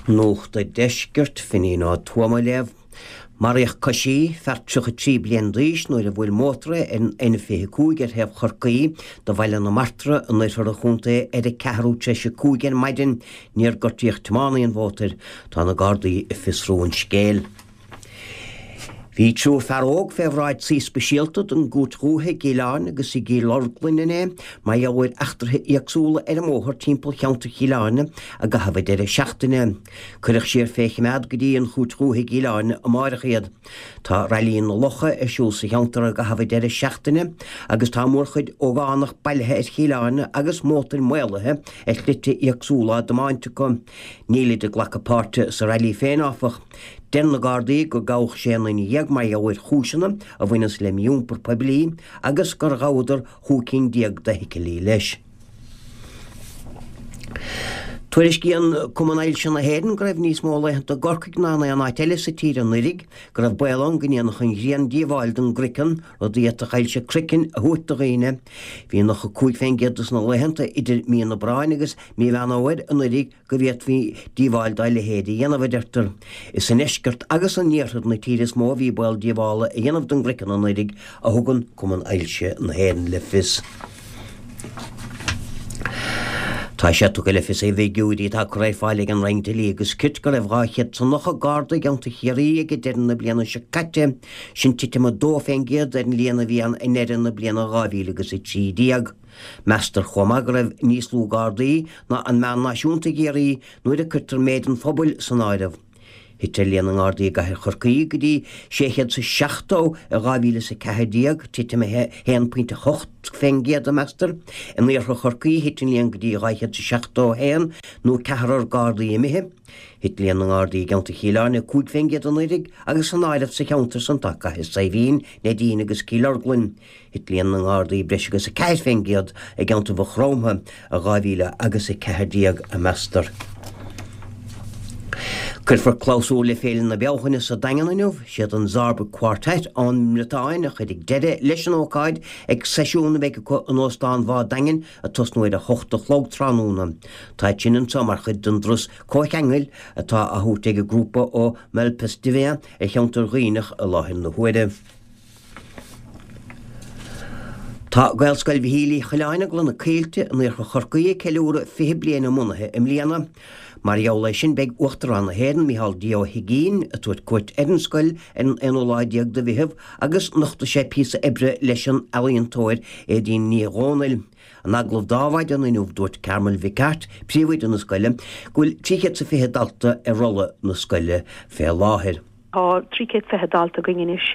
Nuacht an Deiscirt, Finín Ó Tuama á léamh. Maraíodh coisí, fear 33 bliain d'aois, nuair a bhuail mótar é ar an N25 ar thaobh Chorcaí de Bhaile na Martra in oirthear an chontae ar a ceathrú tar éis a 5 ar maidin. Níor gortaíodh tiománaí an mhótair. Tá na Gardaí ag fiosrú an scéil. Bhí triúr fear óg fé bhráid suí speisialta den gCúirt Dhúiche i gCill Airne agus i gCill Orglan inné mar gheall ar eachtraithe éagsúla ar an mbóthar timpeall cheantar Chill Airne i gcaitheamh an deireadh seachtaine. Cuireadh siar fé chimeád go dtí an Chúirt Dhúiche i gCill Airne amáireach iad. Tá Railí na Locha ar siúl sa cheantar i gcaitheamh an deireadh seachtaine agus tá mórchuid ógánach bailithe ar Chill Airne agus mótair maolaithe ar shlite éagsúla á dtiomáint acu. Nílid ag glacadh páirte sa railí féin, áfach. Deir na Gardaí gur gabhadh sé nduine mar gheall ar chúiseanna a bhaineas le mí-iompar poiblí agus gur ghabhadar chúig cinn déag d'fheithicilí leis. Tuairiscíonn Cumann Ailse na hÉireann go raibh níos mó laethanta i gCorcaigh ná in aon áit eile sa tír anuiridh, go raibh baol ann go ndéanfadh an ghrian díobháil don gcraiceann, rud a d'fhéadfadh ailse craicinn a thabhairt do dhaoine. Bhí 95% de na laethanta idir mí an Aibreáin agus mí Mheán Fhómhair anuiridh go bhféadfaí díobháil dá leithéid a dhéanamh, a deirtear. Is i ndeisceart agus in iarthar na tíre is mó a bhí baol díobhála a dhéanamh don gcraiceann anuiridh, a thugann Cumann Ailse na hÉireann le fios. Tá sé tugtha le fios i bhfigiúirí atá curtha ar fáil ag an Roinn Dlí agus Cirt go raibh 290 Garda i gceantar Chiarraí ag deireadh na bliana seo caite, sin titim 2% ar an líon a bhí ann i ndeireadh na bliana 2013. Meastar chomh maith go raibh níos lú Gardaí ná an meán náisiúnta i gCiarraí nuair a cuirtear méid an phobail san áireamh. Thit líon na nGardaí i gcathair Chorcaí go dtí 670 i 2014, titim 1.8% a meastar. In iarthar Chorcaí thit an líon go dtí 271, nó ceathrar Gardaí imithe. Thit líon na nGardaí i gceantar Chill Airne 5% anuiridh agus san áireamh sa cheantar san tá Cathair Saidhbhín, Neidín agus Cill Orglan. Thit líon na nGardaí breis agus 4% i gceantar Mhaigh Chromtha i 2014, a meastar. Cuirfear clabhsúr le Féile na Bealtaine sa Daingean inniu. Siad an Zarb Quartet ón mBriotáin a chuirfidh deireadh leis an ócáid ag seisiún a bheidh acu in Óstán Bhá an Daingin ag tosnú ar a hocht a chlog tráthnóna. Tá sin anso mar chuid den dturas comhcheangail atá á thabhairt ag an grúpa ó Malpestivien ar cheantar Dhuibhneach i láthair na huaire. Tá Gaelscoil Mhichíl Uí Choileáin i gCloich na Coillte in iarthar Chorcaí ag ceiliúradh 20 bliain a mbunaithe i mbliana. Mar gheall air sin beidh Uachtarán na hÉireann, Micheál D. Ó hUigínn, ag tabhairt cuairt ar an scoil ar an aonú lá déag de Mheitheamh agus nochtfaidh sé píosa oibre leis an ealaíontóir Aedín Ní Dhomhnaill. In agallamh d'Adhmhaidin inniu dúirt Carmel Mhic Airt, príomhoide na scoile, go bhfuil 320 dalta ar rolla na scoile fé láthair. Tá 320 dalta againn anois.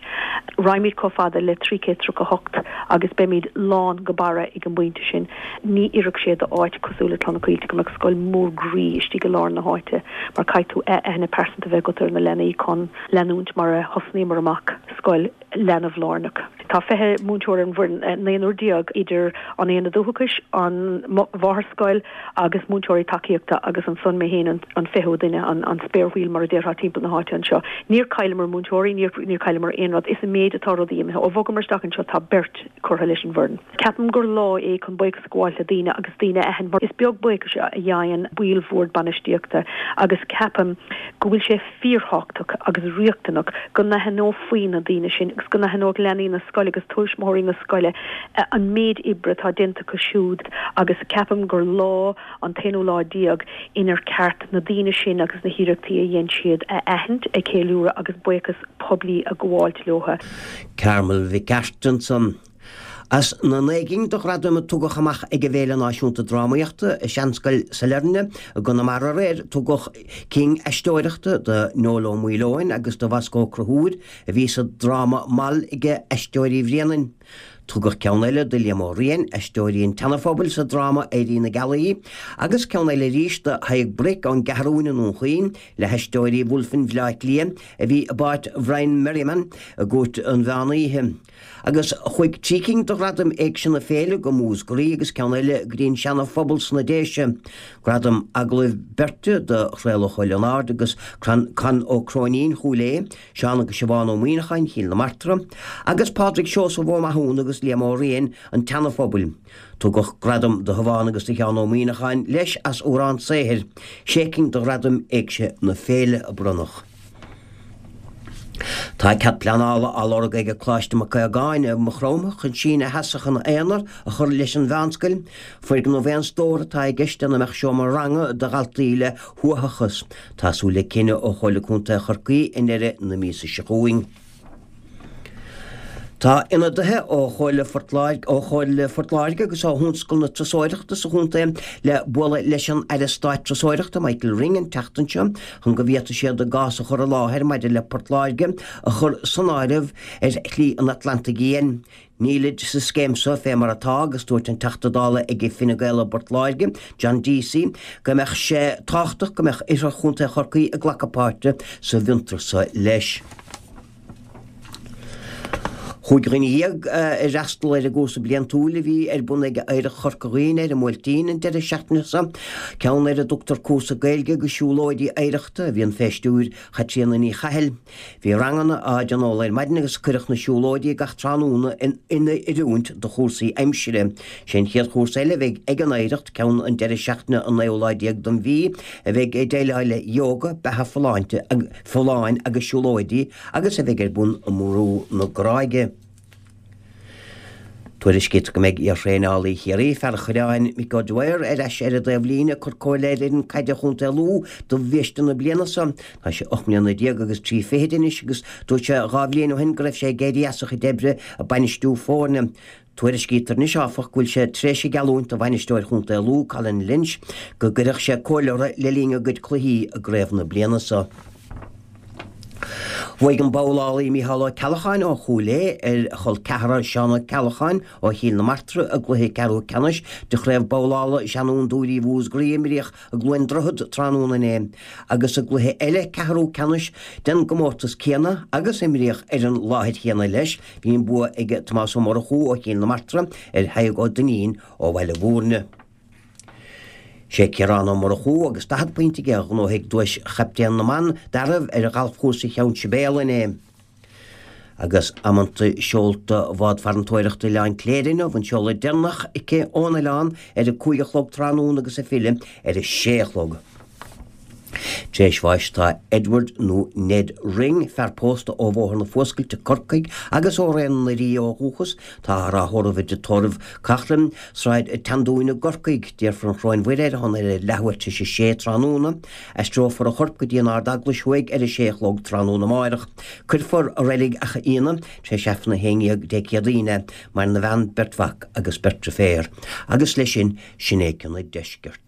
Raghaimid chomh fada le 338 agus beimid lán go barra ag an bpointe sin. Ní oirfeadh sé do áit cosúil le Cloich na Coillte go mbeadh scoil mór groí istigh i lár na háite mar caithfidh tú aithne pearsanta a bheith agat ar na leanaí chun leanúint mar a thosnaíomar amach scoil leanbh-lárnach. Tá 20 múinteoir ar an bhfoireann, naonúr idir an Aonad Uathachais, an mháthairscoil agus múinteoirí tacaíochta agus ansan mé féin an fichiú duine, an spare wheel mar a déarfá timpeall na háite anseo. Níor chailleamar múinteoirí, níor chailleamar aon rud. Is i méid atá rudaí imithe. Ó bhogamar isteach anseo tá beirt curtha leis an bhfoireann. Ceapaim gur lá é chun buíochas a ghabháil le daoine agus daoine a aithint mar is beag buíochas a gheibheann baill bhord bainistíochta agus ceapaim go bhfuil sé fíorthábhachtach agus riachtanach go n-aithneofaí na daoine sin agus go n-aithneodh leanaí na scoile agus tuismitheoirí na scoile an méid oibre atá déanta acu siúd agus ceapaim gur lá an t-aonú lá déag inar ceart na daoine sin agus na hiarrachtaí a dhein siad a aithint, a cheiliúradh agus buíochas poiblí a ghabháilt leo. Carmel Mhic Airt ansan. As na naoi gcinn de ghradaim a tugadh amach ag an bhFéile Náisiúnta Drámaíochta i Seanscoil Sailearna i gConamara aréir, tugadh cinn aisteoireachta do Noel Ó Maoileoin agus do Bhosco Ó Conchúir a bhí sa dráma Moll ag Aisteoirí Bhréanainn. Tugadh ceann eile do Liam Ó Riain, Aisteoirí an tSeana-Phobail sa dráma Éirí na Gealaí, agus ceann eile arís do Thadhg Bric ón gCeathrúin i nDún Chaoin le hAisteoirí Bhulfin Bhaile Átha Cliath a bhí i bpáirt Bhrian Merriman i gCúirt an Mheán Oíche. Agus chuaigh 3 cinn de ghradaim Éigse na Féile go Múscraí agus ceann eile go dtí an Seana Phobal sna Déise. Gradam Agallaimh Beirte do Thraolach Ó Lionáird agus Con Ó Cróinín Chúil Aodha, Seán agus Siobhán Ó Muíneacháin Chill na Martra, agus Pádraig Seosamh Ó Mathúna agus. agus Liam Ó Riain, An tSeana-Phobal. Tugadh gradam do Shiobhán agus do Sheán Ó Muíneacháin leis as Amhrán Saothair. Sé cinn de ghradaim Éigse na Féile a bronnadh. Tá cead pleanála á lorg ag Coláiste Mac Aogáin i Maigh Chromtha chun síneadh sheasach ina aonar a chur leis an mheánscoil. Foirgneamh aon stór atá i gceist ina mbeadh seomra ranga do dhaltaí le huathachas. Tá súil le cinneadh ó Chomhairle Contae Chorcaí i ndeireadh na míosa seo chugainn. Tá ionadaithe ó Chomhairle Phort Láirge, ó Chomhairle Phort Láirge agus ó thionscal na turasóireachta sa chontae le bualadh leis an Aire Stáit Turasóireachta Michael Ring an tseachtain seo chun go bhféadfaidh siad a gcás a chur i láthair maidir le Port Láirge a chur san áireamh ar Shlí an Atlantaigh Fhiáin. Nílid sa scéim seo fé mar atá agus dúirt an Teachta Dála ag Fine Gael i bPort Láirge, John Deasy, go mbeadh sé tábhachtach go mbeadh oirthear Chontae Chorcaí ag glacadh páirte sa bhfiontar seo leis. Chúig dhuine dhéag a fhreastal ar an gcúrsa bliantúil a bhí ar bun ag Oidhreacht Chorca Dhuibhne ar an mBuailtín an deireadh seachtaine seo, ceann ar a dtugtar Cúrsa Gaeilge agus Siúlóidí Oidhreachta, a bhíonn fé stiúir Chaitríona Ní Chathail. Bhí ranganna á dtionól ar maidin agus cuireadh na siúlóidí gach tráthnóna in oiriúint do chúrsaí aimsire. Sé an chéad chúrsa eile a bheidh ag an Oidhreacht, ceann an deireadh seachtaine an naoú lá déag den mhí, a bheidh ag déileáil le Yoga, Beatha Folláinte, Folláin agus Siúlóidí agus a bheidh ar bun i mBrú na Gráige. Tuairiscítear go mbeidh iarthraenálaí Chiarraí, fear an Choireáin, Mick O'Dwyer, ar ais ar an dtaobhlíne ag cur comhairle ar fhoireann caide Chontae Lú do bhiaiste na bliana seo. Tá sé 18 mbliana agus 3 fichid anois agus dúirt sé 2 bhliain ó shin go raibh sé ag éirí as a chuid oibre ag bainistiú foirne. Tuairiscítear anois, áfach, go bhfuil sé tar éis a gheallúint do bhainisteoir chontae Lú, Colin Lynch, go gcuirfeadh sé comhairle orthu le linn a gcuid cluichí i gcraobh na bliana seo. Bhuaigh an babhlálaí Mícheál Ó Ceallacháin ó Chúil Aodha ar a chol ceathrar Seán Ó Ceallacháin ó Chill na Martra i gcluiche ceathrú ceannais de Chraobh Babhlála Seanfhondúirí Mhúscraí a imríodh i gCluain Droichead tráthnóna inné agus i gcluiche eile ceathrú ceannais den gcomórtas céanna agus a imríodh ar an láthair chéanna leis Bhí an bua ag Tomás Ó Murchú ó Chill na Martra ar Thadhg Ó Duinnín ó Bhaile Mhúirne. Sé Ciarán Ó Murchú agus 40 pointe aige a ghnóthaigh duais Chaptaen na mBan d'fhearaibh ar ghalfchúrsa Cheann Sibéal inné. Agus amanta seolta Bhád Farantóireachta Oileán Cléire inniu, an seoladh deireanach aici ón oileán ar a 5 a chlog tráthnóna agus ag filleadh ar a 6 a chlog. Tar éis bháis tá Edward nó Ned Ring, fear pósta ó Bhóthar na Fuascailte, Corcaigh, agus ó Raon na Rí ó dhúchas. Táthar á thórramh i dTigh Tórraimh Coughlan, Sráid an tSeandúin i gCorcaigh. Déarfar an Choróin Mhuire ar a shon ar a leathuair tar éis a sé tráthnóna. Aistreofar a chorp go dtí an Ard-Eaglais Thuaidh ar a sé a chlog tráthnóna amáireach. Cuirfear i Reilig Achadh Fhíona tar éis Aifreann a haon dhéag Dé Céadaoin é. Maireann a bhean, beirt mhac agus beirt driféar. Agus leis sin, sin é cionn an deiscirt.